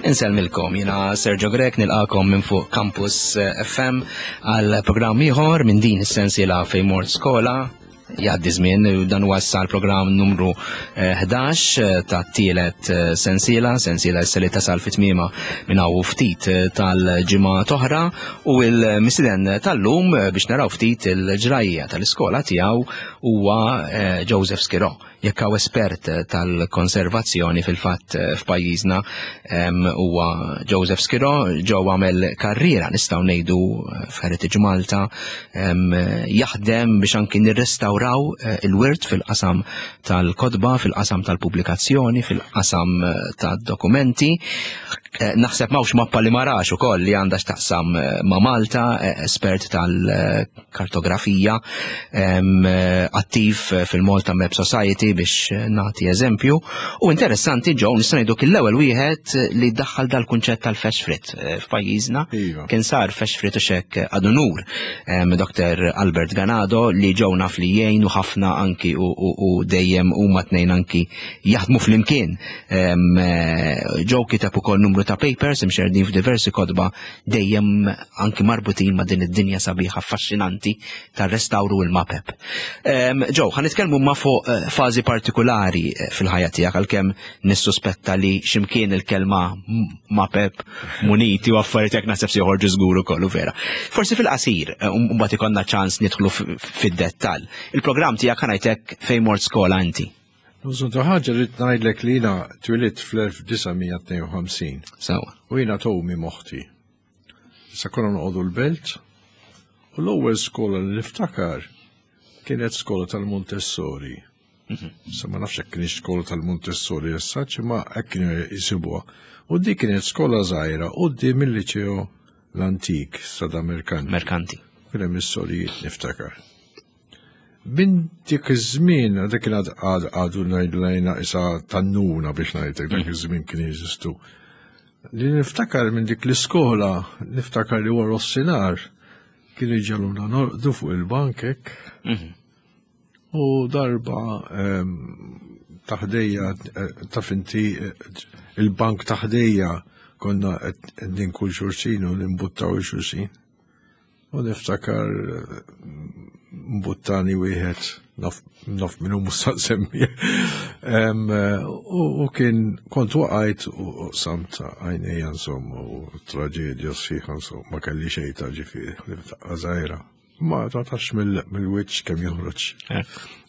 Insellmilkom, jiena Sergio Grech nilqakom minn fuq Campus FM għal programm ieħor minn din is-sensiela fejn mort skola jgħaddi żmien dan huwa issa l-programm numru 11 eh, ta' tielet eh, sensiela, sensiela issa li tasal fit tmiema minn hawn ftit eh, tal-ġimgħa toħra u l-mistieden tal-lum biex naraw ftit il-ġrajja tal-iskola tiegħu huwa Joseph Schirò. Jekk hawn espert tal-konservazzjoni fil-fatt eh, f'pajjiżna huwa Joseph Schirò, ġew għamel karriera nistgħu ngħidu eh, f'Heritage Malta jaħdem biex anki nirrestawraw eh, il-wirt fil-qasam tal-kotba, fil-qasam tal-pubblikazzjoni, fil-qasam tad-dokumenti. Naħseb m'hawnx mappa li ma rax ukoll li għandha x'taqsam ma' Malta, espert tal kartografija, attiv fil-Malta Map Society biex nagħti eżempju. U interessanti ġew nista' ngħidu kien l-ewwel wieħed li daħħal dal-kunċett tal-fresh frit eh, f'pajjiżna. Iva. Kien sar fresh frit u xek għadu nur Dr. Albert Ganado li ġew naf li jgħinu ħafna anki u dejjem huma tnejn anki jaħdmu flimkien. Eh, ġew kiteb ukoll numru ta' papers imxerdin f'diversi kotba dejjem anki marbutin ma' din id-dinja sabiħa affaxxinanti tar-restawru u l-mapep. Ġew, ħa nitkellmu ma' fuq eh, fażi partikulari eh, fil-ħajja tiegħek għalkemm nissuspetta li x'imkien il-kelma mapep muniti u affarijiet hekk naħseb se joħorġu żgur ukoll u vera. Forsi fil-qasir, eh, mbagħad ikollna ċans nidħlu fid-dettall. Il-programm tiegħek ħa ngħidlek fejn mort skola inti. Bżonn ta' ħaġa rrid ngħidlek li jiena twilidt fl-1952. Sewa. U jiena towmi moħti. Issa konna noqogħdu l-belt u l-ewwel skola li niftakar kienet skola tal-Montessori. Mhm. Sa ma nafx hekk kienx skola tal-Montessori issa, ma hekk kienu jisibuha. U dik kienet skola żgħira quddiem il-liċeo l-antik sada Merkanti. Merkanti. Kien hemm is-sorijiet niftakar. Minn dik iż-żmien, dak kien għadu ngħidu lejna isa tannuna biex ngħidlek dak mm. iż-żmien kien jeżistu. Li niftakar minn dik l-iskola, niftakar li wara s-sinar kienu jġaluna norqdu fuq il-bankek. Mhm. U darba ehm, taħdejja, eh, taf inti eh, il-bank taħdejja konna qed ninkul xulxin u nimbuttaw xulxin. U niftakar mbuttani wieħed naf, naf minnu musa semmi. U kien kont waqajt u samt għajnejja insomma u traġedja sħiħa insomma ma kelli xejn ta' ġifieri żgħira. Ma tatax mill-wiċċ kemm joħroġ.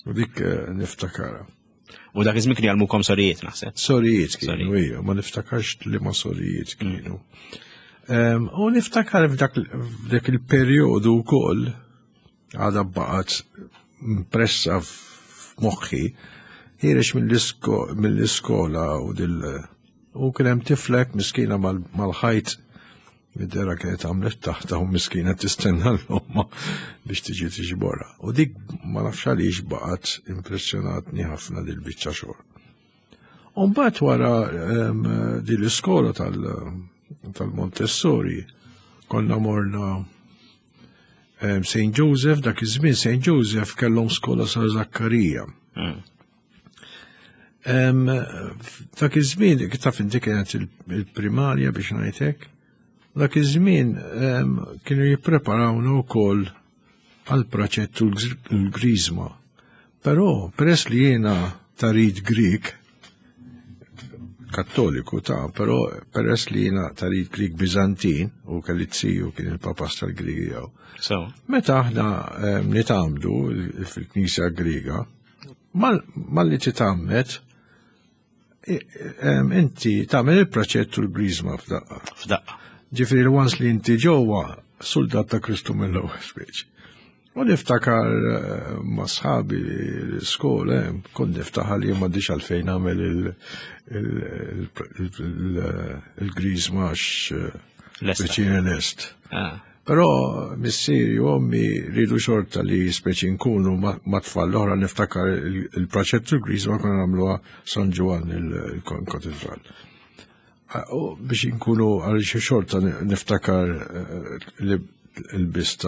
U dik eh, niftakara. U dak iż-żmien kienu jgħallmukom sorijiet naħseb. Sorijiet kienu, ija, ma niftakarx li ma sorijiet kienu. U niftakar f'dak il-perjodu wkoll għadha baqgħet impressa f'moħħi ħireġ mill-iskola u dil u kien hemm tiflek miskina mal-ħajt Mid-dera kienet għamlet taħta u miskina tistenna l-omma biex tiġi tiġbora. U dik ma nafx għaliex baqgħet impressjonatni ħafna dil biċċa xogħol. U mbagħad wara ehm, din l-iskola tal-Montessori konna morna ehm, St. Joseph, dak iż-żmien St. Joseph kellhom skola sa' Zakkarija. Hmm. Dak iż-żmien, taf inti kienet il-primarja biex ngħidlek, dak iż-żmien kienu jippreparawna wkoll għal praċettu l-griżma. Però peress li jiena tarid Grik, kattoliku ta' però peress li jiena tarid Grik Bizantin u kelli ziju kien il-papas tal-Grigi jew. Meta aħna nitamdu fil-Knisja Griega, Malli titgħammed, inti tagħmel il-praċett u l-griżma f'daqqa. F'daqqa. Ġifieri once li inti ġewwa soldat ta' Kristu mill-ewwel speċi. U niftakar eh, ma' sħabi l-iskola, eh, kont niftakar li ma diċ għalfejn nagħmel il-griżma għax eh, speċi lest. Ah. Però missieri u ommi rridu xorta li speċi nkunu ma' tfal l-oħra niftakar il-praċettu l-griż ma konna nagħmluha San Ġwann il-katedral. U biex nkunu għal xi xorta niftakar eh, li l-bis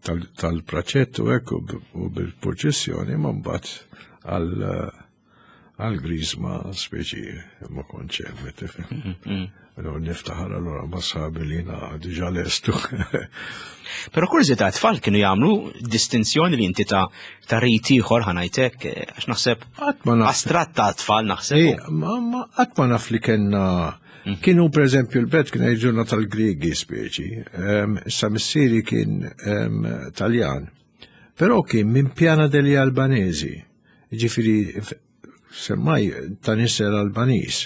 tal-praċettu hekk u bil-purċissjoni ma mbagħad għal eh, Għal-grizma speċi ma kontx hemm, tifhem. Allora niftaħar allora ma sħabi li jiena diġà lestu. Però kurżità tfal kienu jagħmlu distinzjoni li inti ta' ta' rit ieħor ħanajtek għax naħseb Qatt ma naf. astratt ta' tfal naħseb. Ma qatt ma naf li kellna kienu per eżempju l-belt kien jgħidulna tal-Griegi speċi. Issa missieri kien Taljan. Però kien minn Piana degli Albanesi. Ġifieri semmaj ta' nisel Albaniż.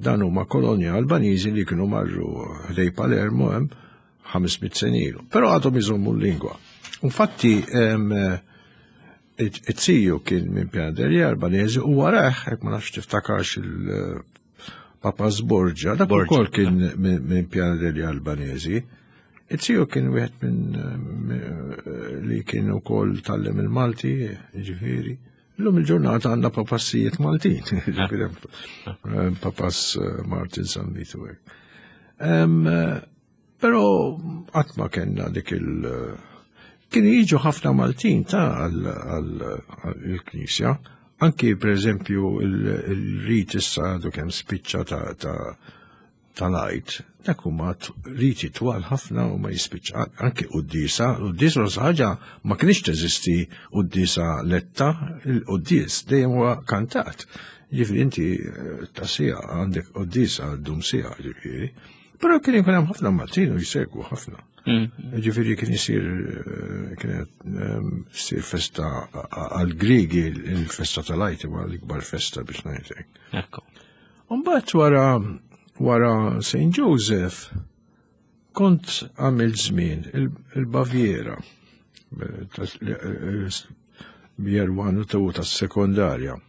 Dan huma kolonja Albaniżi li kienu marru ħdej Palermo hemm 500 sena ilu. Però għadhom iżommu l-lingwa. Infatti it-tiju kien minn Piana degli Albanesi u warah, jekk ma nafx tiftakarx il-Papa Sborgia, dak ukoll kien minn Piana degli Albanesi. It-tiju kien wieħed minn li kien ukoll tgħallem il-Malti, ġifieri. Illum il-ġurnata għandna papassijiet Maltin, ġifieri papas Martin San Vito hekk. Però qatt ma kellna dik il- Kienu jiġu ħafna Maltin ta' għall-knisja, anki per eżempju il-rit issa għadu kemm spiċċa ta' tal-Għid, dak huma riti twal ħafna u ma jispiċċa anki quddiesa, quddiesa l ħaġa ma kienx teżisti quddiesa letta, il-quddies dejjem huwa kantat. Ġifieri inti ta' sija għandek quddiesa ddum sija, ġifieri. Però kien ikun hemm ħafna Maltin u jsegwu ħafna. Ġifieri kien isir kienet issir festa għall-Griegi, il-festa tal-Għid huwa l-ikbar festa biex ngħidlek. Ekku. Mbagħad wara St. Joseph kont għamilt żmien il-Baviera year 1 u 2 tas-sekondarja.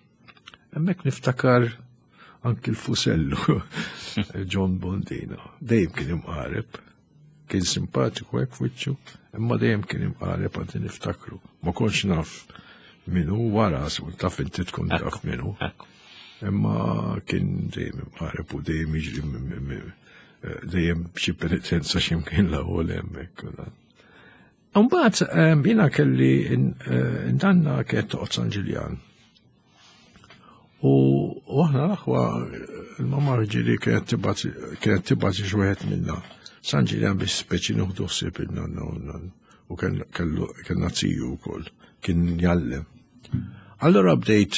Hemmhekk niftakar anki l-Fusellu, John Bondino. Dejjem kien imqareb, kien simpatiku hekk f'wiċċu, imma dejjem kien imqareb għandi niftakru. Ma kontx naf minnu wara, taf inti tkun taf minnu. Imma kien dejjem imqareb u dejjem jiġri dejjem xi penitenza x'imkien l-ewwel hemmhekk. Mbagħad jiena kelli indanna kienet toqgħod San Ġiljan. U aħna l-aħwa il-mamma ġieli kienet tibgħat xi wieħed minna San Ġiljan biex speċi nieħdu ħsieb in-nanna u n-nanna. U kellna ziju wkoll, kien jgħallem. Allora bdejt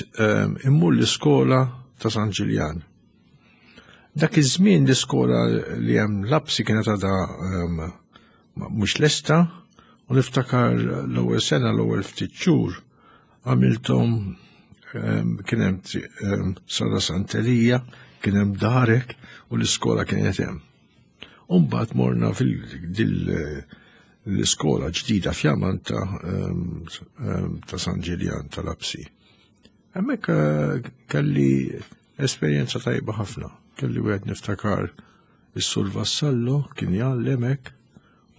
immur l-iskola ta' San Ġiljan. Dak iż-żmien l-iskola li hemm lapsi kienet għadha mhux lesta u niftakar l-ewwel sena l-ewwel ftit xhur għamilthom kien hemm Sala Santelija, kien hemm darek u l-iskola kienet hemm. U mbagħad morna fil l-iskola ġdida fjamanta ta' San Ġiljan tal-Apsi. Hemmhekk kelli esperjenza tajba ħafna. Kelli wieħed niftakar is-Sur Vassallo kien jgħallem hekk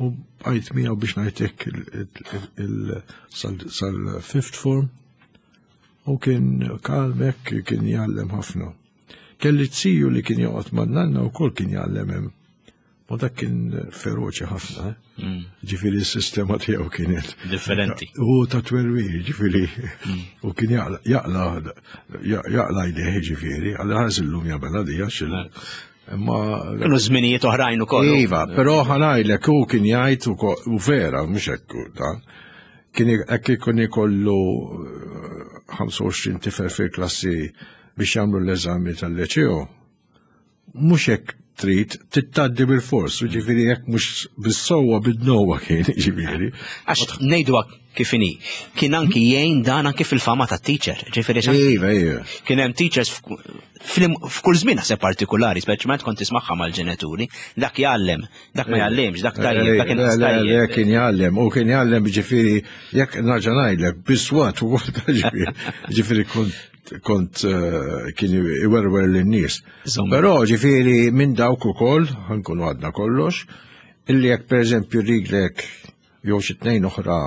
u bqajt miegħu biex ngħidlek sal-fifth form u kien kalm hekk kien jgħallem ħafna. Kelli ziju li kien joqgħod man-nanna wkoll kien jgħallem hemm. Ma dak kien feroċi ħafna, eh? Ġifieri s-sistema tiegħu kienet differenti. U ta' twerwir, ġifieri, u kien jaqla jdejh, ġifieri, għal ħares illum jagħmel għadija xil. Imma Kienu żminijiet oħrajn ukoll. Iva, però ħanajlek hu kien jgħid u vera, mhux hekk dan. Kien hekk ikun ikollu 25 tifel fil-klassi biex jagħmlu l-eżami tal-leċeo. Mhux hekk trid tittaddi bil-fors, ġifieri jekk mhux bis-sewwa bid-dnowa kien, ġifieri. Għax ngħidu kif inhi, kien anki jgħin dan anki fil-fama ta' teacher, ġifieri Iva, iva. Kien hemm teachers f'kull żmien naħseb partikolari, speċjalment kont tismagħha mal-ġenituri, dak jgħallem, dak ma jgħallimx, dak tajjeb, dak Le, le, le, kien jgħallem, u kien jgħallem ġifieri, jekk nerġa' ngħidlek, biswat u ġifieri, ġifieri kont kien iwerwer lin-nies. Però ġifieri minn dawk ukoll, ħankunu għadna kollox, illi jekk pereżempju rilek jew xi tnejn oħra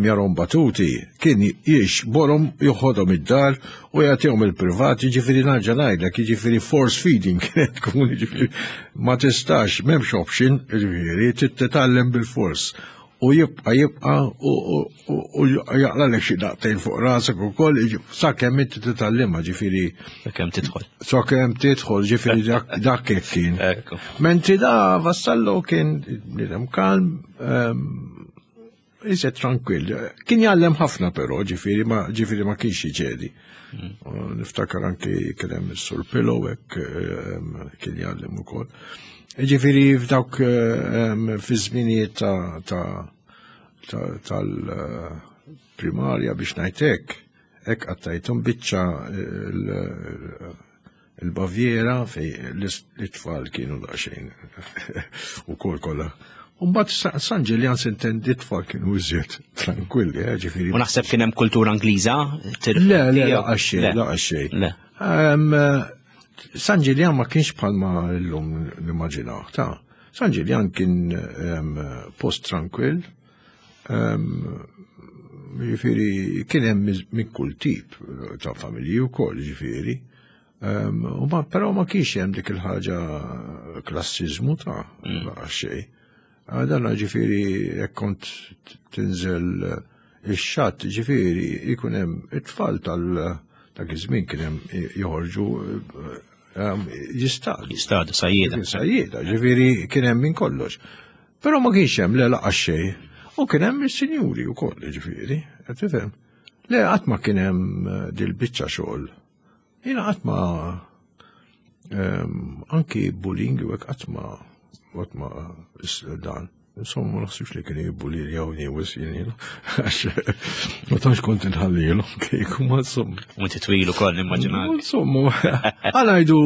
jarom batuti, kien jiex borom joħodhom id-dar u jagħtihom il-privat, jiġifieri nerġa' ngħidlek, jiġifieri force feeding kienet tkun, jiġifieri ma tistax, m'hemmx option, jiġifieri trid titgħallem bil-fors. U jibqa' jibqa' u jaqlalek xi daqtejn fuq rasek ukoll, sakemm inti titgħallimha ġifieri. Sakemm tidħol. Sakemm tidħol, ġifieri dak hekk kien. Mentri da Vassallo kien bniedem kalm, iżjed tranquill. Kien jgħallem ħafna però, ġifieri ma ġifieri ma kienx jiġedi. Niftakar anki kien hemm is-Sur Pillow hekk kien jgħallem ukoll. Ġifieri f'dawk fi żminijiet tal-primarja biex ngħid hekk, hekk qattajthom biċċa il-Baviera fej l-itfal kienu daqsxejn ukoll kollha. Mbagħad San Ġiljan sintendi t-tfal kienu iżjed tranquilli, ġifieri. U naħseb kien hemm kultura Ingliża? Le, le, laqas xejn, laqas xejn. San Ġiljan ma kienx bħalma llum nimmaġinaw, ta' San Ġiljan kien post tranquill, ġifieri kien hemm minn kull tip ta' familji wkoll, ġifieri. Però ma kienx hemm dik il-ħaġa klassiżmu ta' laqas xejn. Dan ġifieri jekk kont tinżel ix-xatt, ġifieri jkun hemm it-tfal tal dak iż-żmien kien hemm joħorġu jistadu. Jistadu, sajjieda. Sajjieda, ġifieri kien hemm minn kollox. Però ma kienx hemm le laqas xejn. U kien hemm is-sinjuri wkoll, ġifieri, qed tifhem. Le qatt ma kien hemm dil-biċċa xogħol. Jiena qatt ma anki bullying u hekk qatt ma qatt ma dan. Insomma, ma naħsibx li kien jibbulli jew niewis jien, għax ma tantx kont inħallilhom kieku, ma insomma. U inti twil ukoll nimmaġinak. Insomma, għal ngħidu,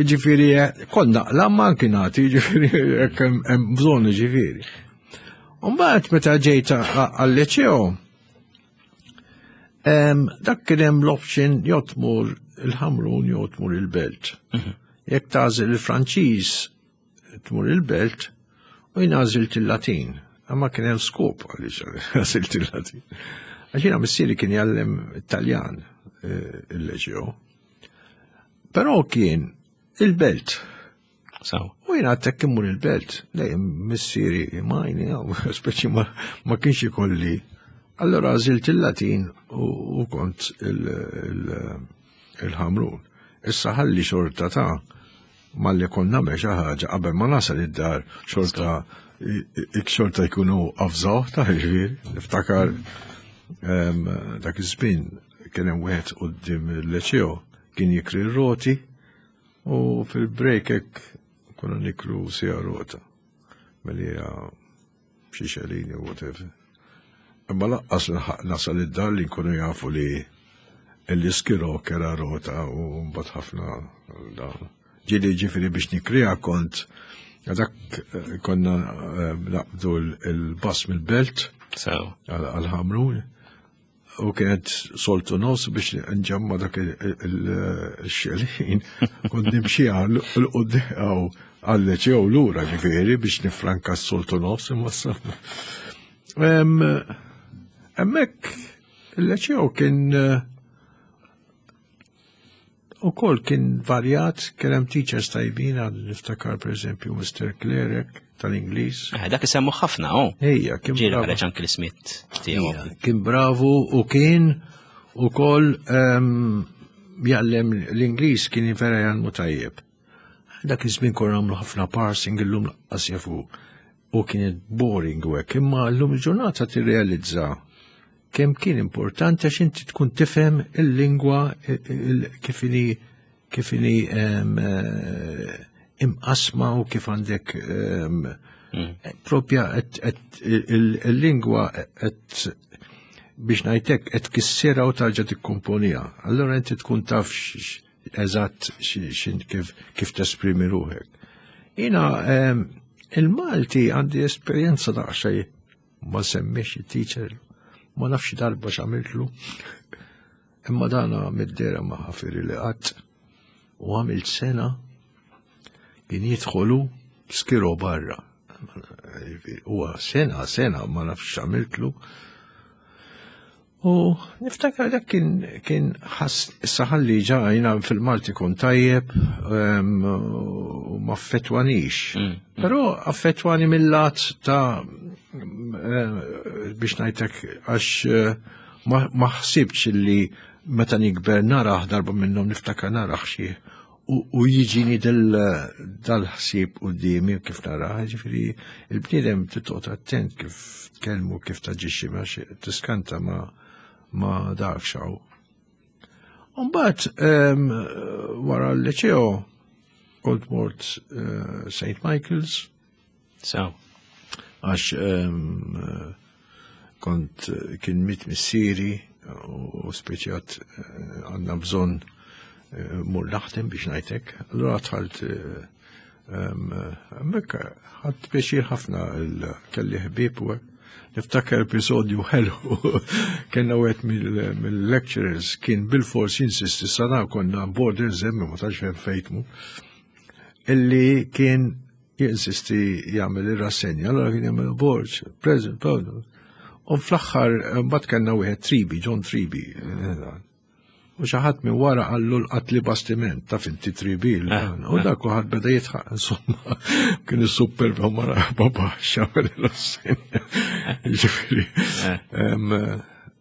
ġifieri, kont naqla ma anki nagħti, ġifieri, jekk hemm bżonn, ġifieri. U mbagħad meta ġejt għal-liċeo, dak kien hemm l-option jew tmur il-Ħamrun jew tmur il-Belt. Jekk tagħżel il-Franċiż tmur il-Belt u jien għażilt il-Latin. Imma kien hemm skop għaliex għażilt il-Latin. Għax jiena missieri kien jgħallem Italjan il-Leġio. Però kien il-Belt. U jiena għadtek immur il-Belt, dejjem missieri majni, speċi ma kienx ikolli. Allora għażilt il-Latin u kont il-Ħamrun. Issa ħalli xorta ta' malli kont nagħmel xi ħaġa qabel ma nasal id-dar xorta jkunu avżaw ta' ġifieri. Niftakar dak iż-żmien kien hemm wieħed quddiem il-Leċeo kien jikri r-roti u fil-break hekk konna niklu sija rota. Melija xi xelini u whatever. Imma laqqas nasal id-dar li nkunu jafu li l-iskiro kera rota u mbagħad ħafna dan. Ġieli ġifieri biex nikrija kont dak konna naqbdu l-bus mill-Belt għal-Ħamrun u kienet soltu nofs biex nġemma dak il-xelin kont nimxi għal-quddew għal-leċew lura ġifieri biex nifranka s-soltu nofs imma Hemmhekk il-leċew kien ukoll kien varjat, kien hemm teachers tajbin, għad niftakar per eżempju Mr. Clerek tal-Ingliż. Dak isemmu ħafna, oh. Ejja, kien Ġieli bravu. ħareġ anki l-ismiet tiegħu. Ejja, kien bravu u kien ukoll jgħallem l-Ingliż kien vera jgħallmu tajjeb. Dak iż-żmien konna nagħmlu ħafna parsing illum lanqas jafu u kienet boring u hekk, imma llum il-ġurnata tirrealizza kemm kien importanti għax inti tkun tifhem il-lingwa kif inhi kif inhi imqasma u kif għandek propja il-lingwa qed biex ngħidlek qed tkissirha u tarġa' tikkomponija. Allura inti tkun taf eżatt kif tesprimi ruħek. Jiena il-Malti għandi esperjenza daqsxejn ma semmix il-teacher, ma nafx darba x'għamiltlu. Imma dana mid-dera ma ħafiri li qatt u għamilt sena kien jidħolu skiro barra. Huwa sena, sena, ma nafx x'għamiltlu. U niftakar dak kien kien ħass issa ħalli ġa jiena fil-Malti kont tajjeb u ma affettwanix. Però affettwani mill-lat ta' biex ngħidlek għax eh, ma ħsibx li meta nikber naraħ darba minnhom niftakar naraħ xi u jiġini dal-ħsieb quddiemi kif naraħ, ġifieri il-bniedem titqgħod attent kif tkellmu kif taġixxi ma tiskanta ma ma dak xaw. Mbagħad wara l-liceo kont mort eh, St. Michael's. So. Għax kont kien mit missieri u speċjat eh, għandna bżonn eh, mur naħdem biex ngħidlek. Allura dħalt eh, hemmhekk ħadd pjaċir ħafna kelli ħbieb u niftakar episodju ħelu kellna wieħed mill-lecturers kien bil-fors jinsisti sana konna borders hemm ma tantx fejn fejtmu illi kien jinsisti jagħmel ir-rassenja, allura kien jagħmel Borg, President, President. U fl-aħħar mbagħad kellna wieħed Tribi, John Tribi. Eh, u xi ħadd minn wara qallu l-qatli bastiment ta' finti Tribi. Eh, u eh. dak ħadd beda jitħaq, insomma, kien is-super mara baba x'għamel ir-rassenja. Ġifieri.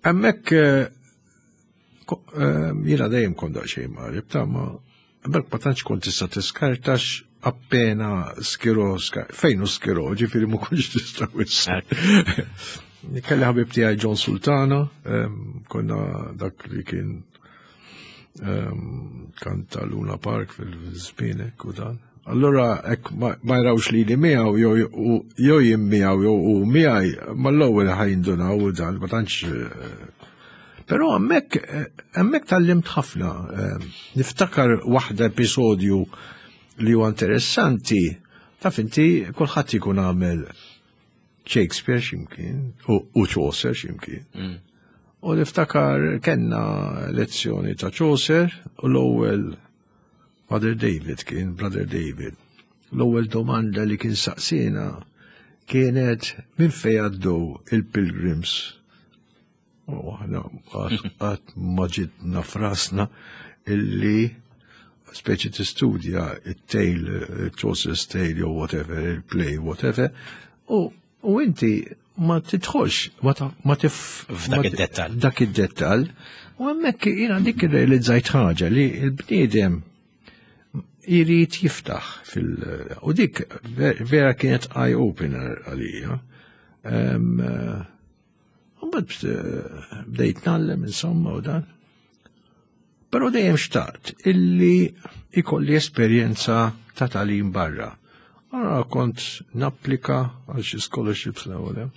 Hemmhekk Jiena dejjem kont daqsxejn marib ta' ma hemmhekk ma tantx kont tista' tiskartax appena skiro fejn hu skiro, ġifieri ma kontx tista' wissa. Kelli ħabib tiegħi John Sultana, konna dak li kien kanta Luna Park fil-żmienek u dan. Allura hekk ma jrawx li li miegħu jew jien miegħu jew u miegħi mal-ewwel ħajndunaw u dan ma tantx eh, Però hemmhekk eh, hemmhekk tallimt ħafna. Eh, niftakar waħda episodju li huwa interessanti, taf inti kulħadd ikun għamel Shakespeare x'imkien u Chaucer x'imkien. U niftakar kellna lezzjoni ta' Chaucer u l-ewwel Brother David kien Brother David. L-ewwel domanda li kien saqsina kienet minn fejn għaddew il-pilgrims. U aħna qatt ma ġitna frasna illi speċi tistudja it-tale, Chaucer's tale jew whatever, il-play, whatever, u U inti ma tidħolx, ma tif. F'dak id-dettal. Dak id-dettal. U hemmhekk jiena dik irrealizzajt ħaġa li l-bniedem jrid jiftaħ fil. U dik vera kienet eye opener għalija. Mbagħad eh, bdejt nallem insomma u dan. Però dejjem xtaqt illi ikolli esperjenza ta' talim barra. Allora kont napplika għal xi scholarships l-ewwel.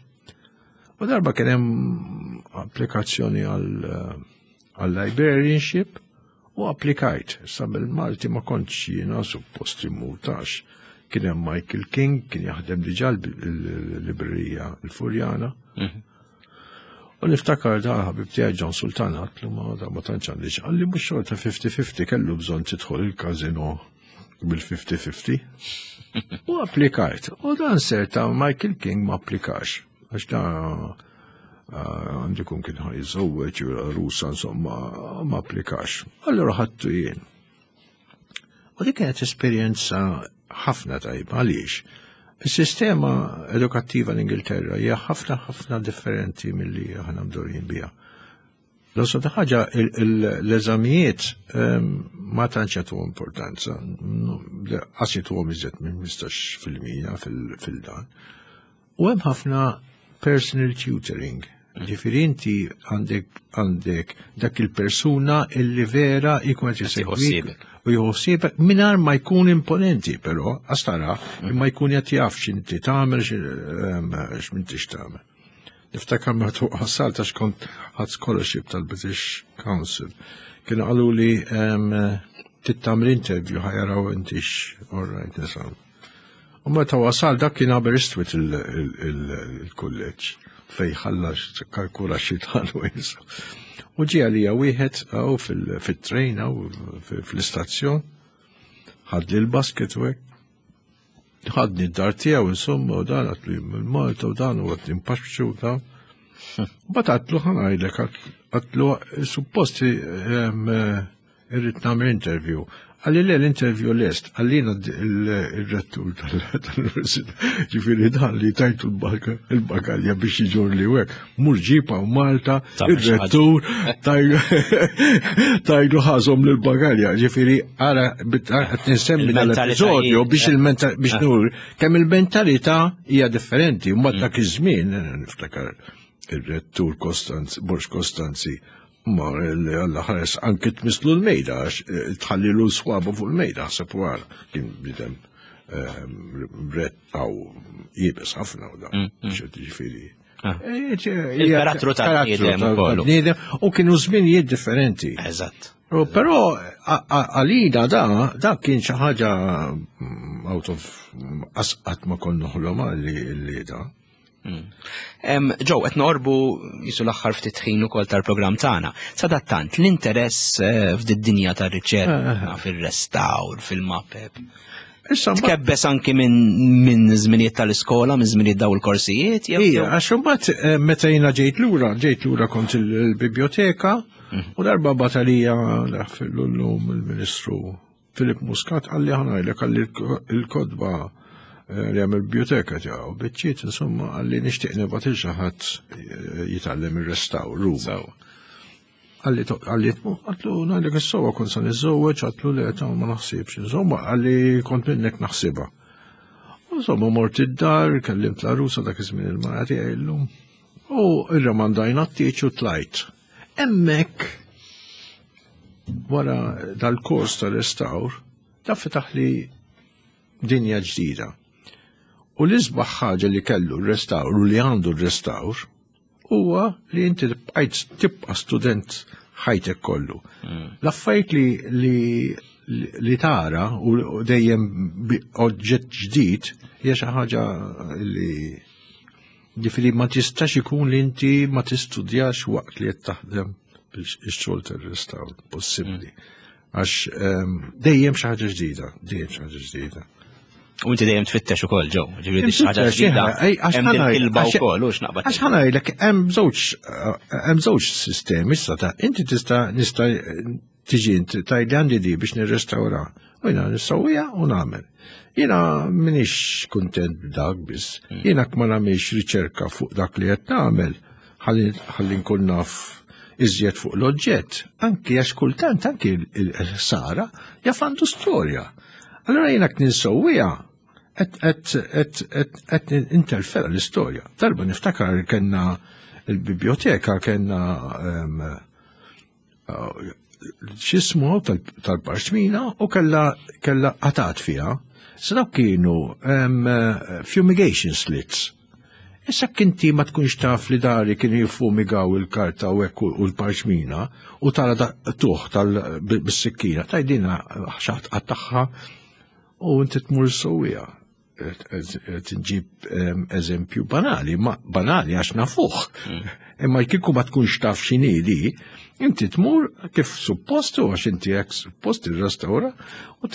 U darba kien hemm applikazzjoni għal eh, għal librarianship u applikajt. Sa bil-Malti ma kontx jiena suppost immutax. Kien hemm Michael King, kien jaħdem diġà l-librerija l-Furjana. U niftakar da ħabib tiegħi John Sultan għatlu ma da ma tantx għandi qalli mhux xorta 50-50 kellu bżonn tidħol il-kazino bil-50-50. U applikajt. U dan ser ta' Michael King ma applikax. Għax da eh, għandu kun kien ħajżewweġ rusa insomma ma applikax. Allura ħadtu jien. U dik kienet esperjenza ħafna tajba għaliex. Is-sistema edukattiva l-Ingilterra hija ħafna ħafna differenti milli aħna mdorin biha. L-ossa ta' ħaġa l-eżamijiet ehm, ma tantx jagħtu importanza, qas jagħtuhom iżjed minn 15% fil-dan. U hemm ħafna personal tutoring. Ġifieri inti għandek għandek dak il-persuna illi vera jkun qed isegwik u jħossibek mingħajr ma jkun imponenti però għax tara imma jkun qed jaf x'inti tagħmel ehm, x'mintix tagħmel. Niftakar meta wasalt għax kont ħadd scholarship tal-British Council. Kienu qalu li ehm, tittamel interview ħajaraw intix all right nisam. U meta wasal dak kien Aberystwyth il-kulleġġ fej ħalla kalkula xi tħallu U ġie għalija wieħed għaw fil-trejn għaw fl-istazzjon, ħadli l-basket u hekk. Ħadni d-dar tiegħu insomma u dan għatli minn Malta u dan u għatli mpaxxu u dan. Mbagħad għatlu ħa ngħidlek għatlu suppost irrid nagħmel interview. Għalli le l-interview lest, għallina il-rettur tal-università, ġifiri dan li tajtu l-bagalja biex iġor li wek, mur ġipa u Malta, il-rettur tajdu ħazom l-bagalja, ġifiri għara, nsemmi dal-episodju biex il-mentalità, biex ah. nur, kemm il-mentalità hija differenti, u dak iż-żmien, niftakar il-rettur Kostanzi, Borx Kostanzi, Ma li Alla ħares anki tmislu l-mejda, għax eh, tħallilu swabu fuq il-mejda, ħseb wara, kien bidem ehm, ret għaw jibes ħafna u da, ġifiri. Ah. Eh, Il-karattru tal-bniedem u kienu żminijiet differenti. Eżatt. Però għalina da, da kien xi ħaġa out of asqat ma konnu ħloma li da. Ġew, qed noqorbu jisu l-aħħar ftit ħin ukoll tal-programm tagħna. Sadattant, l-interess eh, f'did-dinja tar-riċerka, eh, eh. fir-restawr, fil-mapep. Tkebbes anki minn żminijiet tal-iskola, minn żminijiet daw il-korsijiet? Ija, għax imbagħad meta jiena ġejt lura, ġejt lura kont il-biblioteka mhm. u darba batalija l-lum il-Ministru Philip Muscat qalli ħa ngħidlek qalli l-kotba eh, li hemm il-biblioteka tiegħu biċċiet insomma qalli nixtieq nibgħat il xi ħadd eh, jitgħallem ir-restawr Ruma. Qalli qalli għatlu ngħidlek is-sewwa kont se niżżewweġ għatlu le ta' ma naħsibx insomma qalli kont minnek naħsibha. Insomma mort id-dar, kellimt l-għarusa dak iż-żmien il-mara tiegħi llum. U irramandajna t-tieġ u tlajt. Hemmhekk wara dal-kors tal-restawr, da fetaħ li dinja ġdida. U l-isbaħ ħaġa li kellu r-restawr u li għandu r-restawr huwa li inti bqajt tibqa' student ħajtek kollu. L-affarijiet li, li li tara u dejjem oġġett ġdid hija xi ħaġa li Ġifieri ma tistax ikun li inti ma tistudjax waqt li qed taħdem ix-xogħol tar-restawr, possibbli. Għax ehm, dejjem xi ħaġa ġdida, dejjem xi ħaġa ġdida. U inti dejjem tfittex ukoll ġew, ġifieri xi ħaġa ġdida. Hemm din kilba wkoll u x'naqbad. Għax ħanajlek hemm żewġ hemm żewġ sistemi issa ta' inti tista' nista' Tiġi int tgħidli għandi di biex nirrestawra. U jiena nissawwija u nagħmel. Jiena m'iniex kuntent b'dak biss. Jiena ma nagħmilx riċerka fuq dak li qed nagħmel ħalli nkun naf iżjed fuq l-oġġett, anki għax kultant anki l-ħsara jaf għandu storja. Allora jiena ninsewwija qed interfera l-istorja. Darba niftakar kellna il-biblioteka kellna ehm, x'ismu tal-parċmina u kella kella qatat fiha. Sa dawk kienu fumigation slits. Issa kinti ma tkunx taf li dari kienu jiffumigaw il-karta u hekk u l-parċmina u tara tuħ tal-sikkina tajdina xaħat qattaħħa u inti tmur sewwija. Tinġib ehm, eżempju banali, ma banali għax nafuh. Imma kieku ma tkunx taf x'inhi di, inti tmur kif suppost u għax inti hekk suppost tirrestawra u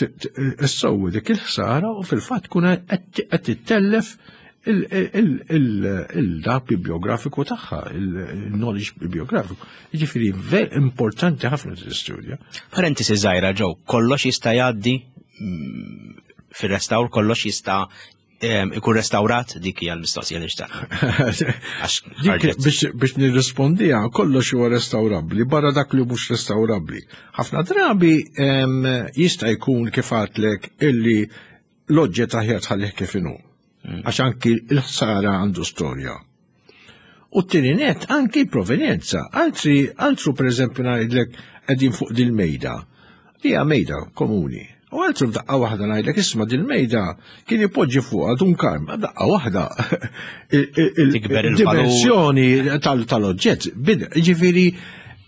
issewwi dik il-ħsara u fil-fatt tkun qed tittellef il-dak bibliografiku tagħha, il-knowledge bibliografiku. Jiġifieri ver importanti ħafna t-istudja. Parentesi żgħira ġew, kollox jista' jgħaddi fir-restawr kollox jista' ikun restawrat dik hija l-mistoqsija li xtaq. Biex nirrispondija, kollox huwa restawrabbli, barra dak li mhux restawrabbli. Ħafna drabi jista' jkun kif għadlek illi l-oġġett aħjar tħallih kif inhu. Għax anki l-ħsara għandu storja. U t-tieni net anki provenjenza. Altri, altru per eżempju ngħidlek qegħdin fuq dil-mejda. Hija mejda komuni. U altru f'daqqa waħda ngħidlek isma' dil-mejda kien ipoġġi fuqha dun karm, daqqa waħda il-dimensjoni tal-oġġett. Ġifieri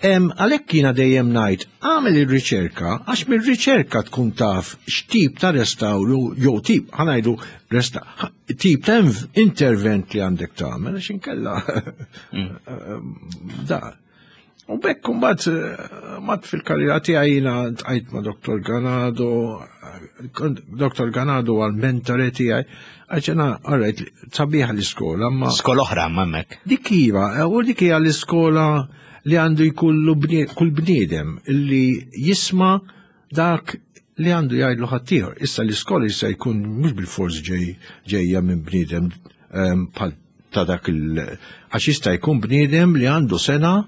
għalhekk jiena dejjem ngħid agħmel ir-riċerka għax mir-riċerka tkun taf x'tip ta' restawru jew tip ħa ngħidu tip ta' intervent li għandek tagħmel għax inkella da. U bekk imbagħad eh, mat fil-karriera tiegħi jiena tqajt ma' Dr. Ganado, Dr. Ganado għal mentore tiegħi, għax jiena alright, sabiħa l-iskola, ma. Skola oħra ma hemmhekk. Dik iva, u dik hija l-iskola li għandu jkollu kull bniedem li jisma' dak li għandu jgħidlu ħaddieħor. Issa l-iskola jista' jkun mhux bil-fors ġejja minn bniedem ehm, bħal ta' dak il għax jista' jkun bniedem li għandu sena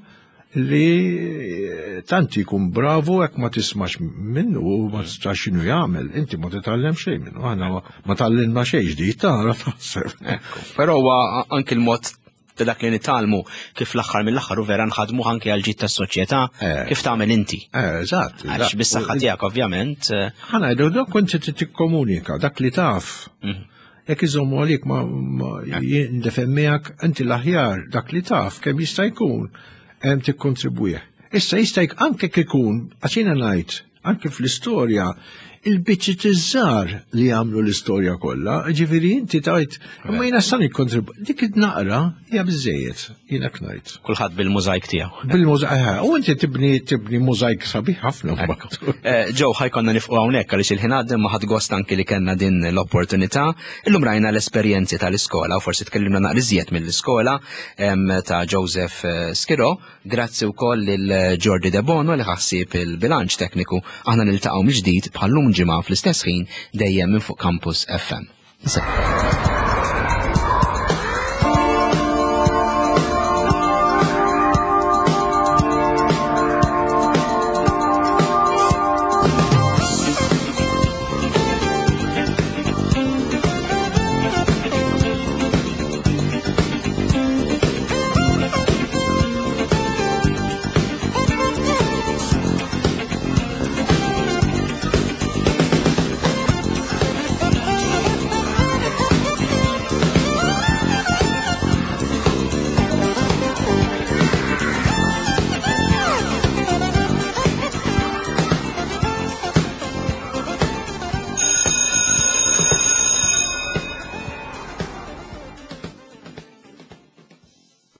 li eh, tant jkun bravu hekk ma tismax minnu u ma tistax x'inhu jagħmel, inti ma titgħallem xejn minnu, aħna ma tgħallimna xejn ġdid tara taħseb. Però huwa anki l-mod ta' dak li nitgħallmu kif l-aħħar mill-aħħar u vera nħadmu anke għal ġid tas-soċjetà eh. kif tagħmel inti. Eh, eżatt. Għax bis-saħħa tiegħek ovvjament. Eh. Ħa ngħidu dak kont tikkomunika dak li taf. Mhm. Jekk iżommu għalik ma jindefem miegħek inti l-aħjar dak li taf kemm jista' jkun hemm tikkontribwih. Issa jista' anke kikun għax jiena ngħid Anke fl-istorja, il-biċċiet iż-żgħar li jagħmlu l-istorja kollha, ġifieri inti tajt, imma jiena sa nikkontrib dik id-naqra hija biżejjed, jiena ngħid. Kulħadd bil-mużajk tiegħu. Bil-mużajk, eh, u inti tibni tibni mużajk sabiħ ħafna mbagħad. Eh, Ġew ħajkonna nifqu hawnhekk għaliex il-ħin għadda ma ħadd gost anki li kellna din l-opportunità. Illum rajna l-esperjenzi tal-iskola u forsi tkellimna naqra iżjed mill-iskola ta' Joseph eh, Skiro. Grazzi wkoll lil Jordi Debono li ħassib il-bilanċ tekniku. Aħna niltaqgħu mill-ġdid bħal-lum ġimgħa fl-istess ħin dejjem minn fuq Campus FM.